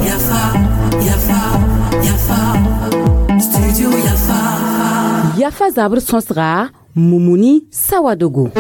Yafa, Yafa, Yafa, Studio Yafa. Yafa zabr sõsga Mumuni Sawadogo.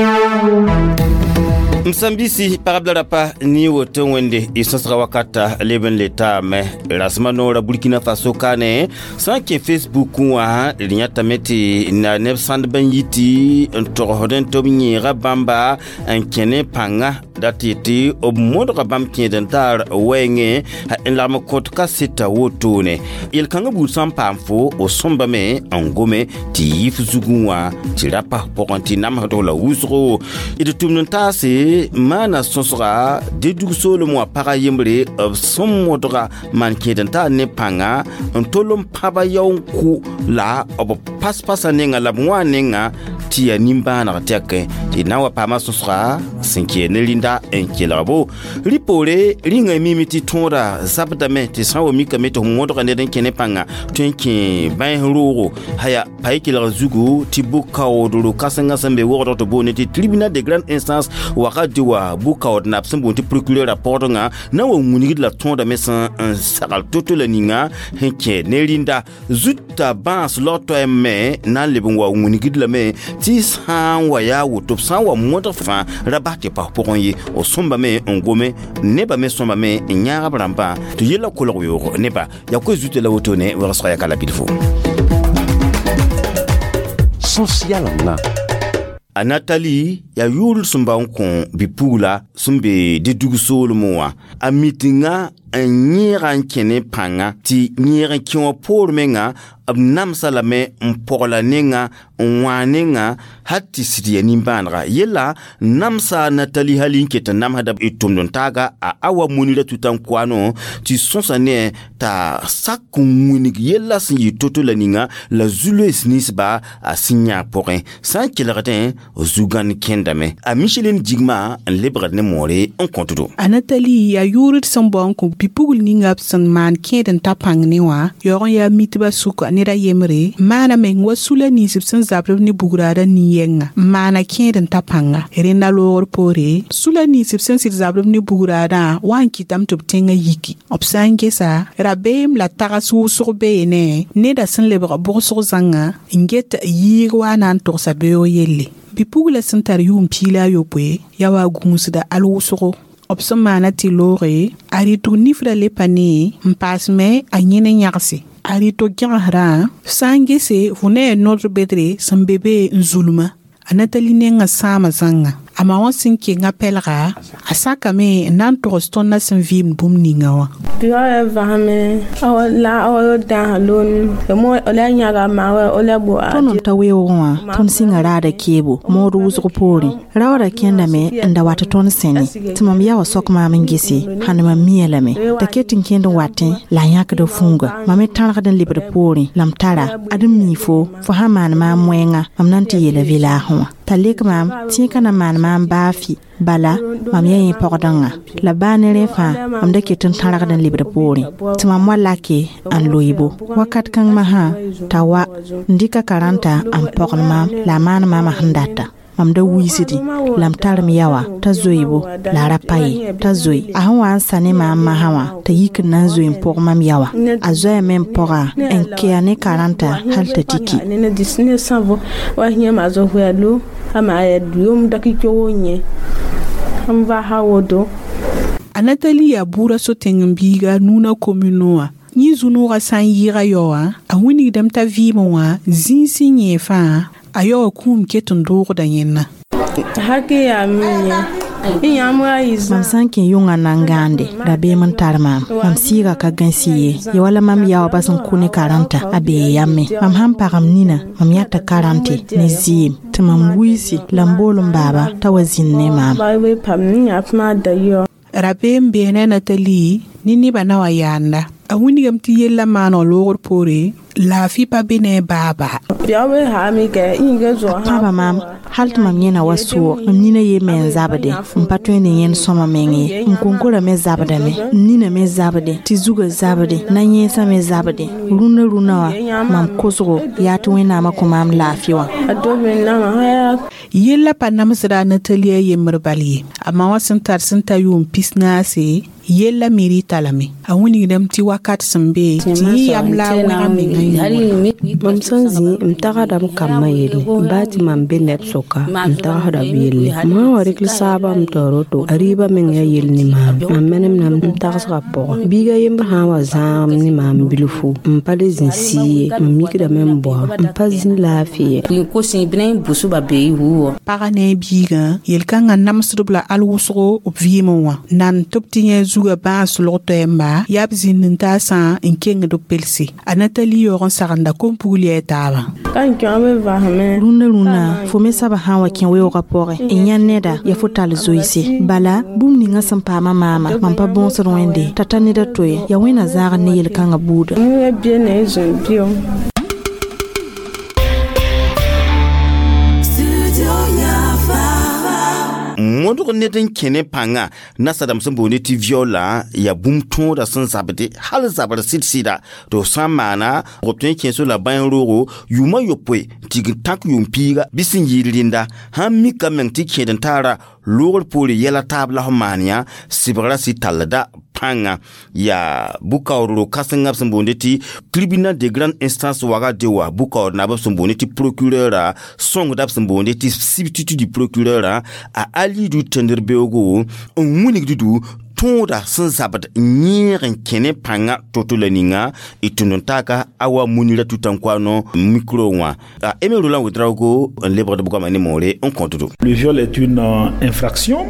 M sãn-biisi pagb la rapa ne woto wẽnde y sõsga wakata leb n le taame rasmã noora Burkina Faso kaane sã n kẽ Facebook wã d yãtame tɩ na neb sãndb n yi tɩ n togsd n tɩ b yẽega bãmba n kẽ ne pãnga dat tɩ tɩ b modga bãmb kẽed n taar wɛɛngẽ n lagm kõt kaseta wotone yel-kãngã buud sã n paam fo o sõmbame n gome tɩ yɩ f zugẽ wã tɩ ra pas pʋgẽ tɩ namsd la wʋsgo d tʋmd n taase maana sõsga dedug soolem wã pagã yembre b sẽn modga maan kẽed n taar ne pãnga n tol n pãba yao n kʋ la b pas-pasã nenga la b wã nenga tɩ yaa nimbãaneg tɛkẽ tɩ na n wa paama sõsga sẽn kee ne rĩnda n kelgbo rɩ poore rĩnga mime tɩ tõoda zabdame tɩ sã n wa mikame tɩ f modga ned n kẽ ne pãnga tõe n kẽ bãens roogo haya pa y kelg zugu tɩ bʋ-kaoodro kãsengã sẽn be wogdg tɩ boone tɩ tribunal de grande instance wakat tɩ wa bʋ-kaood nab sẽn boond tɩ procureur a pɔgdengã na n wa wilgd la tõodame sẽn n sagl to-to la ninga sẽn kẽ ne rĩnda zuta bãas laog-toɛɛm me na n leb n wa wilgd lame tɩ sã n wa yaa woto b sã n wa modg fãa ra bas tɩ pas pʋgẽ ye o sõmbame n gome nebã me sõmbame n yãag b rãmbã tɩ yella kolg weoog neba yaa koe zutã la wotone wegsga yaka la bilfo. Sẽn-yalengã. A Natali yaa yʋʋr sẽn bao n kõ bi-pugla sẽn be dɩdug soolmẽ wã a mitinga n yẽega n kẽ ne pãnga tɩ yẽeg n kẽ wã poor menga b namsa lame n pɔgla nenga n wã nenga hal tɩ sɩd yaa nimbãanega yella namsa Natali hali n ket n namsda y tʋmd n taaga a awa munira tuta n koano tɩ sõsa ne t'a sak n wilg yella sẽn yɩ to-to la ninga la zu-loees ninsba a sẽn yã pʋgẽ sã n kelgdẽ zu-gãn kẽndame a Micheline Jigma n lebgd ne moore n kõtdo. A Natali yaa yʋʋr sẽn bao n kõ bi-pugl ninga b sẽn maan kẽed n ta pãng ne wã yaoog n yaa mitbã sʋka ned a yembre maana meng wa sula nins b sẽn zabd b ne bugraada nin-yɛnga n maana kẽed n ta pãnga rẽnda loogr poore sula nins b sẽn sɩd zabd b ne bugraadã wa n kɩtame tɩ b tẽngã yiki b sã n gesa rabeem la tags wʋsg beene neda sẽn lebg bʋgsg zãnga n get yiig wa na n togsa beoog yelle bi-pugla sẽn tar yʋʋm 16 yaa wa gũusda al wʋsgo b sẽn maana tɩ looge a rɩtg nifrã le pa ne n paasme a yẽne yãgse a rɩtg gẽgesrã sã n gese fo ne ya nodr bedre sẽn be be n zulmã a Natali nengã sãama zãnga a ma wã sẽn kenga pɛlga a sakame n na n togs tõndã sẽn vɩɩmd bũmb ninga wã. Tõnd n ta weoogẽ wã tõnd sɩnga raada keebo mood wʋsg poorẽ raoodã kẽndame n da wat tõnd sẽne tɩ mam ya wa sok maam n gese hãn mam mia lame t'a ket n kẽnd n watẽ la a yãkda fũuga mam me tãrgd n lebd poorẽ la m tara ad n mii fo fo sã maan maam wɛɛnga mam na n tɩ yeela vɩlaasẽ wã t'a lek maam tẽeka na maan maam baa fɩ bala mam yaa yẽ pɔgdẽngã la baa ne rẽ fãa mam da ket n tãrgd n lebd poorẽ tɩ mam wa lake n loeebo wakat kãng masã t'a wa n dɩka karãnta n pɔgl maam la a maan maamã sẽn data mam da wiisdi la m tar m yawa t'a zoeebo la a ra pa ye t'a zoe a sẽn wa n sa ne maam masã wã t'a yik n na n zoe n pʋg mam yawa a zoɛɛme n pɔga n kea ne karãnta hal t'a tiki. A Natali yaa buurã so-tẽng n biiga Nuna commune wã yẽ zu-noogã sã n yɩɩga yao wã a wilgdame t'a vɩɩmẽ wã zĩig sẽn yẽ fãa a yaoowã kũum ket n doogda yẽnna. Mam sã n kẽ yʋngã na n gãande rabeem n tar maam mam sɩɩga ka gãsi ye ya wala mam yaoobã sẽn kʋ ne karãnta a bee yame mam sãn pagm nina mam yãta karãnte ne zɩɩm tɩ mam wiisi la m bool n baaba t'a wa zĩnd ne maam. Rabeem beene Natali ne nebã na wa yaanda a wilgame tɩ yellã maaneg loogr poore Laafɩ pa be ne baaba. Pãba maam hal tɩ mam yẽna wa soog mam nina ye me n zabde n pa tõe ne yẽnd sõma meng ye n konkora me zabdame n nina me zabde tɩ zugã zabde na-yẽensã me zabde rũnna rũnna wã mam kosgo yaa tɩ Wẽnnaamã kõ maam laafɩ wã. Yella pa namsda a Natalia yembr bal ye. A ma wã sẽn tar sẽn ta yʋʋm 40 yella me rɩta lame. A wilgdame tɩ wakat sẽn be tɩ yẽ yam la a wẽga mengã yũuda. Mam sẽn zĩ m tagsdame kambã yelle baa tɩ mam be neb sʋka m tagsda b yelle m sã n wa rɩk saabã m tao roto a rɩɩbã meng yaa yell ne maam mam menemdame n tagsgã pʋgẽ biiga yembr sã n wa zãagem ne maam bilfu m pa le zĩ sɩɩ ye mam mikdame n baoa m pa zĩ laafɩ ye. Pagã ne a biigã yel-kãngã namsdb la al wʋsgo b vɩɩmẽ wã nan tɩ b tɩ yẽ zugã bãas log toɛɛmba yaa b zĩnd n taasã n kengd b pelse. A Natali yaoog n sagenda kom-pugl yaa taabã. Rũndã rũnnã fo me soaba sã n wa kẽ weoogã pʋgẽ n yãnd neda yaa fo tall zoeese bala bũmb ninga sẽn paama maama mam pa bõosd Wẽnde t'a ta ned a to ye yaa Wẽnna zãagd ne yel-kãngã buuda. Modg ned n kẽ ne pãnga nasadãmb sẽn boonde tɩ viola yaa bũmb tõoda sẽn zabde hal zabr sɩd-sɩda tɩ f sã n maana b tõe n kẽes la bãen roogo yʋʋmã yopoe tɩ tãk yʋʋm piiga bɩ sẽn yɩɩd rẽnda sãn mika meng tɩ kẽed n taara loogr poore yɛla taab la f maan yã sɩbgrã sɩ tallda pãnga yaa bʋ-kaoodro kãsenga b sẽn boonde tɩ tribunal de grande instance wagade wa bʋ-kaood naab b sẽn boonde tɩ procureur sõngda b sẽn boonde tɩ substitut du procureur a Alidu tẽndr beoogo n wilgd tõoda sẽn zabd yẽeg n kẽ ne pãnga to-to la ninga y tũnd n taaka a wa Munira Tutankouano micro wã a Aimé Roland Ouedraogo n lebgd b goama ne moore n kõtdo. Le viol est une infraction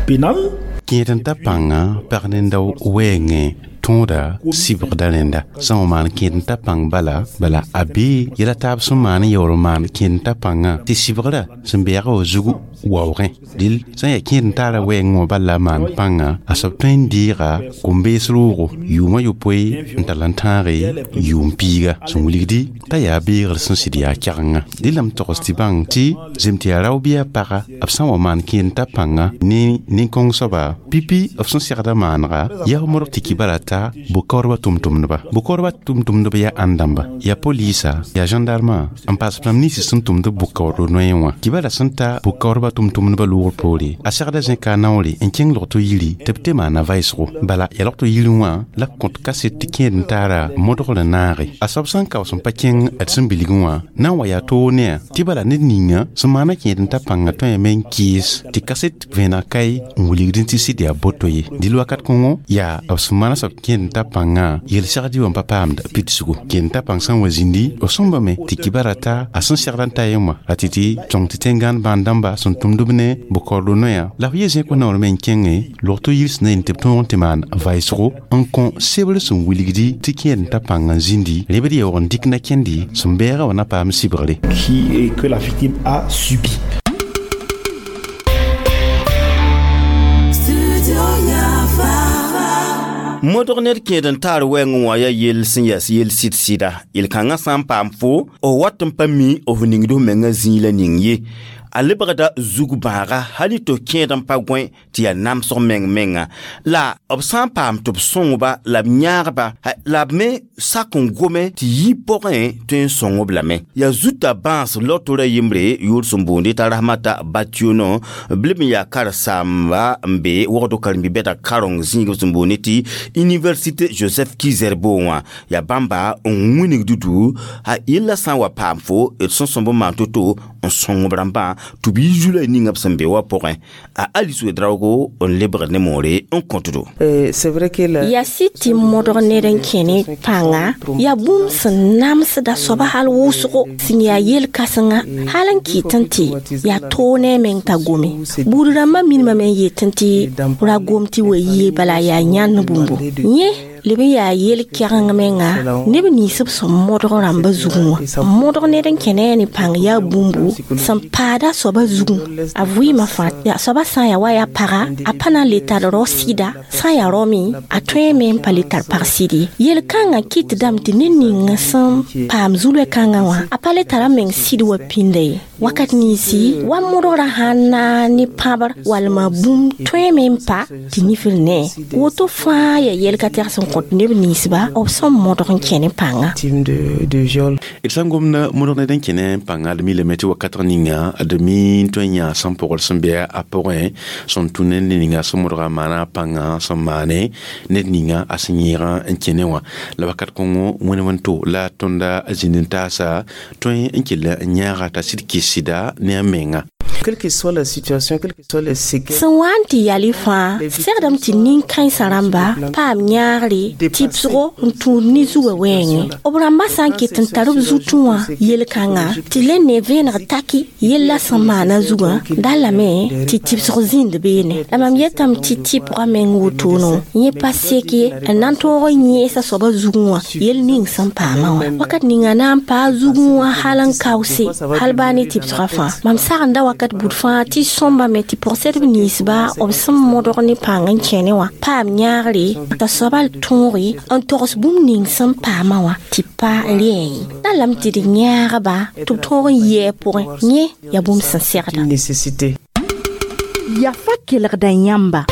pénale. Kẽed n ta pãnga pag nenda wɛɛngẽ tõoda sɩbgda rẽnda sã n maan kẽed n ta pãng bala bala a bee yɛla taab sẽn maan n yaool n maan kẽed n ta pãngã tɩ sɩbgrã sẽn beɛga wa zugu waoogẽ dɩl sã n yaa kẽed n taara wɛɛngẽ wã bal la a maan pãnga a soab tõe n deega kom-bees roogo yʋʋmã yopoe n tall n tãage yʋʋm piiga sẽn wilgdi t'a yaa beegr sẽn sɩd yaa kɛgenga dɩ la m togs tɩ bãng tɩ zem tɩ yaa rao bɩ yaa paga b sã n wa maan kẽed n ta pãnga ne nin-kõng soaba pipi b sẽn segda maanega yaa f modg tɩ kibara ta bʋ-kaoodbã tʋm-tʋmdba bʋ-kaoodbã tʋm-tʋmdb yaa ãn-dãmba yaa polisa yaa gendarma n paas rãmb ninsã sẽn tʋmd bʋ-kaoodr noyẽ wã kibara sẽn ta bʋ-kaoodbã tʋm-tʋmdbã loogr poore a segda zẽka a naoore n kẽng log-to yiri tɩ b te maana vaɩsgo bala yaa log-to yirẽ wã la b kõt kaset tɩ kẽed n taara modgr n naage a soab sẽn kaoos n pa kẽng d sẽn bilgẽ wã na n wa yaa toog ne-a tɩ bala ned ninga sẽn maana kẽed n ta pãnga tõeme n kɩɩs tɩ kaset vẽeneg kae n wilgd tɩ sɩd yaa boto ye dɩl wakat kõngo yaa b sẽn maana soab kẽed n ta pãngã yel-segd wã pa paamd pidsgo kẽed n ta pãng sã n wa zĩndi b sõmbame tɩ kibara ta a sẽn segd n ta yẽ wã a tɩ tɩ sõng tɩ tẽn-gãnd bãan-dãmba sẽn tʋmd b ne bʋ-kaoodr noyã la f ye zẽk wã naoor me n kẽnge log-to yir sẽn na yen tɩ b tõog n tɩ maan vaɩsgo n kõ sebr sẽn wilgdi tɩ kẽed n ta pãng n zĩndi rẽbd yaoog n dɩk na kẽndi sẽn bɛɛga wã na paam sɩbgre. Qui que la victime a subi. Modg ned kẽed n taar wɛɛngẽ wã yaa yell sẽn yas yell sɩd-sɩda yel-kãngã sã n paam fo f wat n pa mi f ningd f mengã zĩig la ning ye a lebgda zug bãaga hal tɩ f kẽed n pa gõe tɩ yaa namsg meng menga la b sã n paam tɩ b sõngba la b yãagba la b me sak n gome tɩ yi pʋgẽ tõe n sõng-b lame yaa zuta bãas lotora yembre yʋʋr sẽn boonde t'a Rahmata Bationo b leb n yaa karen-saamba n be wogdo karen-bi-bɛda kareng zĩig b sẽn boonde tɩ Université Joseph Ki-Zerbo wã yaa bãmba n wilgd du a yella sã n wa paam fo d sẽn sõmb n maan to-to n sõng b rãmbã tɩ b yi zula ninga b sẽn be wã pʋgẽ a Alice Ouedraogo n lebgd ne moore n kõtdo. Yaa sɩd tɩ modg ned n kẽ ne pãnga yaa bũmb sẽn namsda soaba hal wʋsgo sẽn yaa yel-kãsenga hal n kɩtẽ tɩ yaa toog ne a meng t'a gome buud rãmbã minimame n yetẽ tɩ ra gom tɩ wa yie bala yaa yãnd bũmbo yẽ Leb n yaa yel-kɛgeng menga neb nins b sẽn modg rãmbã zugẽ wã modg ned n kẽ ne a ne pãng yaa bũmbu sẽn paada soabã zugẽ a vɩɩmã fãa yaa soabã sã n yaa wa yaa paga a pa na n le tar rao sɩda sã n yaa rao me a tõeme n pa le tar pag sɩd ye yel-kãngã kɩtdame tɩ ned ning sẽn paam zu-loe-kãngã wã a pa le tara meng sɩd wa pĩnda ye wakat ninsi wa modgrã sãn na ne pãbr walma bũmb tõeme n pa tɩ nifr ne woto fãa yaa yɛl ka tɛg sẽn kõt neb ninsba b sẽn modg n kẽ ne pãnga d sã n gomda modg ned n kẽ ne pãnga d milame tɩ wakatg ninga d mi n tõe n yã sẽn pʋgd sẽn be a pʋgẽ sẽn tũ ned ninga sẽn modga maana a pãnga sẽn maane ned ninga a sẽn yẽegã n kẽ ne wã la wakat kõngo wẽne wẽn-to la tõnda zĩnd n taasa tõe n kell n yãaga t'a sɩd kɩs sɩda ne a menga. Quelle que soit la situation, quelle que soit les séquelles. Sẽn wa n tɩ yal y fãa segdame tɩ nin-kãensã rãmba paam yãagre tɩbsgo n tũud ne zugã wɛɛngẽ b rãmbã sã n ket n tar b zutẽ wã yel-kãnga tɩ le ne vẽeneg taki yella sẽn maana zugã da lame tɩ tɩbsg zĩnd beene la mam yetame tɩ tɩpgã meng wotono yẽ pa sek ye n na n tõog n yẽesa soabã zugẽ wã yel ning sẽn paamã wã wakat ninga na n paa zugẽ wã hal n kaoose hal baa ne tɩbsgã fãa mam sagenda wakat bud fãa tɩ sõmbame tɩ pʋgsedb ninsba b sẽn modg ne pãng n kẽne wã paam yãagre t'a soaba tõoge n togs bũmb ning sẽn paamã wã tɩ pa rɛɛ ye na lame tɩ d yãagba tɩ b tõog n yɩ a pʋgẽ yẽ yaa bũmb sẽn segda Yafa kelgda yãmba.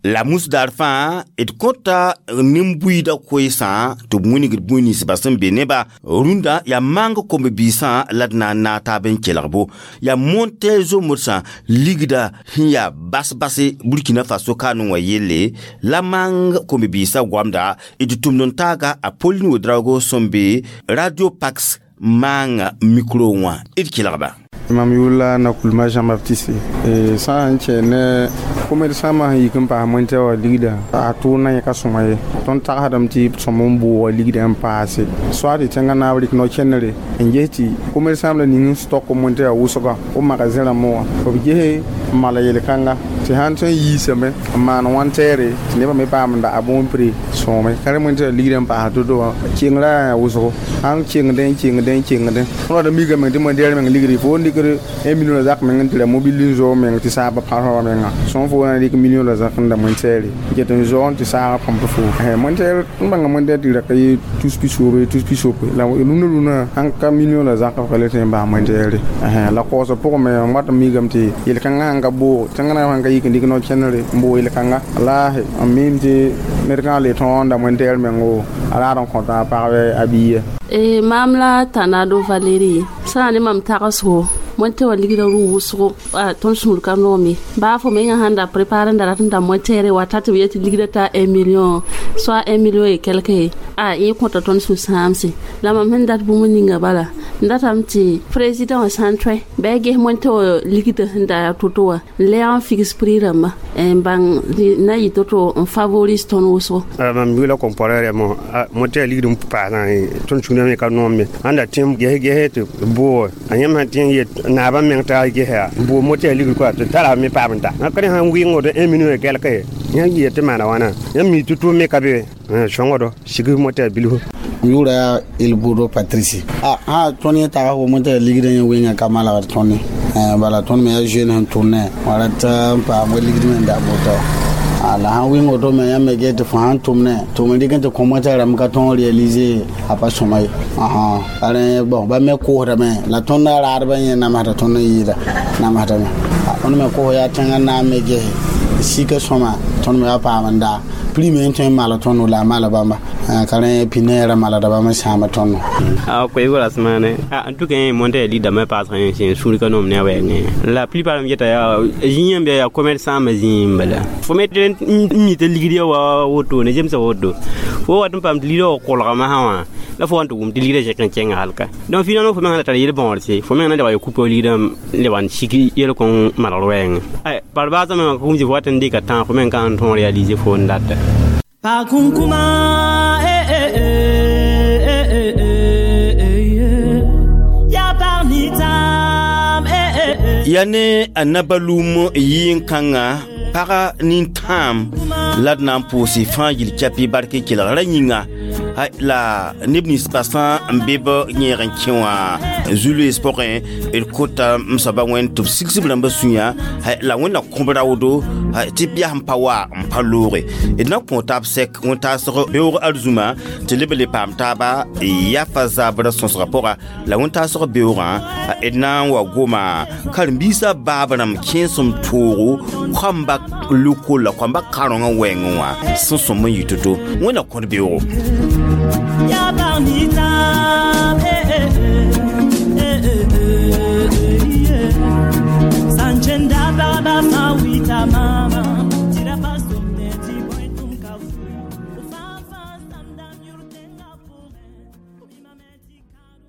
La musdar fãa d kõta nin-buiidã koeesã tɩ b wingd bũi ninsbã sẽn be nebã rũndã yaa maang komb-biisã la d na n naag taab n kelgbo yaa monte zomodsã ligda sẽn yaa bas-base Burkina Faso kaanẽ wã yelle la maang komb-biisã goamda d tʋmd n taaga a Pauline Ouedraogo sẽn be Radio Pax maanga micro wã d kelgba. Mam yʋʋr Nakulma Jean-Baptiste sã n kẽ ne commerçant ma sẽn yik n paas montɛ wã ligda a tʋʋmdã yẽ ka sõma ye tõnd tagsdame tɩ sõm n booga ligda n paase soa tɩ tẽngã naab rɩk no-kẽnere n ges tɩ commerçant la ning n stock montɛ wã wʋsga b magasin rãmbẽ wã b gese n mala yel-kãnga tɩ sãn tõe n yiisame n maan wãn tɛɛre tɩ nebã me paam n da a bõon pre sõome ka rẽ montɛ wã ligda n paas to-to wã kengrã yaa wʋsgo sãn kengdẽ n kengdẽ n kengdẽ tõnd wata mikame tɩ montɛɛr meng ligre fo n dɩkd 1 million la zak meng n tɩ ra mobile n zoog meng tɩ saaba pãsã menga sõn fo na dɩk million la zak n da montɛɛre get n zoog n tɩ saagã põmp fo montɛɛr n bãnga montɛɛr tɩ ra ka yɩ tus pisoobe tus pisoobe la rũnã rũnã sãn ka million la zak f ka le tõe n bas montɛɛre la kaoosã pʋgẽ me n wat n mikame tɩ yel-kãngã sãn ka boog tẽngã naab sãn ka yik n dɩk no-kẽnere n boog yel-kãnga wallaahi n miim tɩ ned kãngã le tõog n da montɛɛr meng o a raad n kõta a pagb a biiya. Mam la Tanado Valérie sã ne mam tagsgo montɛ wã ligda rʋ wʋsgo tõnd sũur ka noome baa fo menga sãn da prépare n da rat n da montɛɛre wa ta tɩ b yetɩ ligda t'a 1 million soit 1 million et quelque a yẽ kõta tõnd sũ-sãamse la mam sẽn dat bũmb ninga bala n datame tɩ président wã sã n tõe bɩ a ges montɛ wã ligda sẽn da to-to wã n lɛɛg n figs prix rãmba n bãng na yɩ to-to n favorise tõnd wʋsgo. Mam yʋʋla comparé mo montɛ ligd n paasã tõnd sũurã me ka noom ye sãn da tẽ ges gese tɩ booge a yãmb sã tẽ n yet naabã meng t'a gesa n boog motɛ ligd koa tɩ tara me paam n ta ka rẽ sãn wɩɩng woto 1 million et quelque yãmb yet tɩ maana wãna yãmb mi tɩ tʋʋm me ka be sõngdo sig motɛ bilfu. M yʋʋra yaa Elbodo Patrice a sã tõnd yẽ tags fo montɛ ligdã yẽ wẽnga ka malgd tõnd bala tõnd me yaa jeune sẽn tʋmnẽ wã rat n paam wa ligd me n da bota la sãn wɩng woto me yãmb me get tɩ fo sãn tʋmnẽ tɩ m dɩk n tɩ kõ montɛ rãmb ka tõog réaliser a pa sõma ye rẽ bon ba me koosdame la tõnd raadbã yẽ namsda tõnd n yɩɩda namsdame tõnd me koos yaa tẽngã naam me gese sika sõma tõnd me wa paam n daa prix me n tõe n maala tõndo la a maala bãmba ka rẽ pinairã malada bãmb n sãama tõndo. Koeego rasmane en tout cas monte ligda me paas sẽn sũur ka noom ne a wɛɛngẽ la plupart m yeta yaa zĩ yãmb yaa commerçant me zĩ n bala fo me tɩ n mi tɩ ligd ya wa wotone zemsa woto fo wat n paam tɩ ligdã wa kolgame sã wã la fo wa n tɩ wʋm tɩ ligdã zẽk n kẽnga halka donc finalement fo meng na tar yel-bõodse fo meng na lebg ya kupa ligdã lebg n sik yel-kõn malgr wɛɛngẽ par baasã mengã ka wʋm tɩ fo wat n dɩka tãag fo meng ka n tõog réaliser fo n data. Pakunkuma, eh, eh, eh, eh, eh, eh, ya parnitam, eh, eh, eh. Ya ne a nabalum yɩɩn-kãngã Paga nintãam la d na n pʋʋse fãa yil kɛpɩ bark kelgra yĩnga. La neb nins pa sã n be b yẽeg n kẽ wã zu-loees pʋgẽ, d kota m soaba Wẽnd tɩ b sigs b rãmbã sũyã la Wẽnd na kõ b raoodo tɩ b yas n pa wa n pa looge. D na kõ taab sɛk wẽn-taasg beoog arzũma tɩ leb n le paam taaba yafa zabrã sõsgã pʋga. La wẽn-taasg beoogã d na n wa goma karen-biisã baab rãmb kẽesem toogo koamba loko la koamba karõngã wɛɛngẽ wã sẽn sõm n yɩ to-to. Wẽnd na kõt beoogo. Ya barnita, eh eh eh eh eh, yeah. Sanchenda baba fa wita mama.